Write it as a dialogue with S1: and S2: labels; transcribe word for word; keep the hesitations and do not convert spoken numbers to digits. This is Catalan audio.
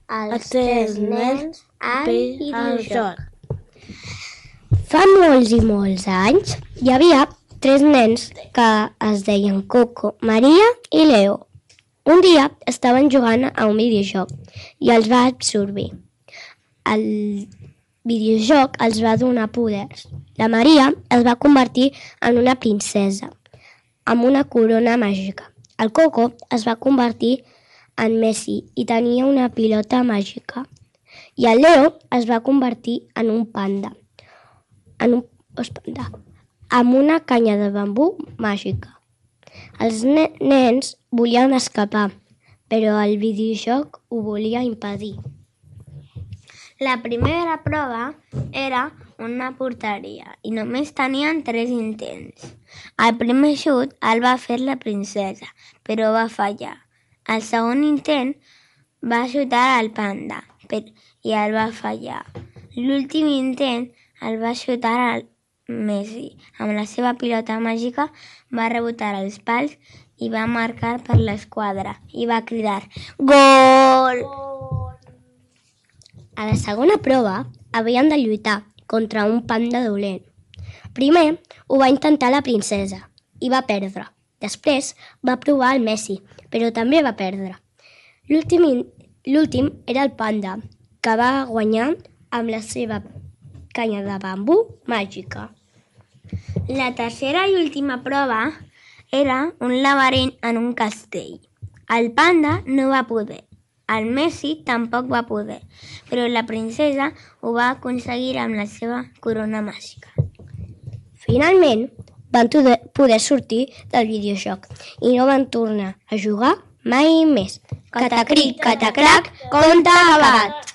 S1: els tres nens al videojoc.
S2: Fa molts i molts anys hi havia tres nens que es deien Coco, Maria i Leo. Un dia estaven jugant a un videojoc i els va absorbir. El videojoc els va donar poders. La Maria es va convertir en una princesa amb una corona màgica. El Coco es va convertir en Messi i tenia una pilota màgica. I el Leo es va convertir en un panda, en un panda, amb una canya de bambú màgica. Els ne- nens volien escapar, però el videojoc ho volia impedir.
S1: La primera prova era una porteria i només tenien tres intents. El primer xut el va fer la princesa, però va fallar. El segon intent va xutar al panda i el va fallar. L'últim intent el va xutar al Messi. Amb la seva pilota màgica va rebotar els pals i va marcar per l'esquadra i va cridar «Gol!».
S2: A la segona prova havien de lluitar contra un panda dolent. Primer ho va intentar la princesa i va perdre. Després va provar el Messi, però també va perdre. L'últim era el panda, que va guanyar amb la seva canya de bambú màgica.
S1: La tercera i última prova era un laberint en un castell. El panda no va poder. El Messi tampoc va poder, però la princesa ho va aconseguir amb la seva corona màgica.
S2: Finalment, van poder sortir del videojoc i no van tornar a jugar mai més.
S1: Catacric, catacrac, conte acabat!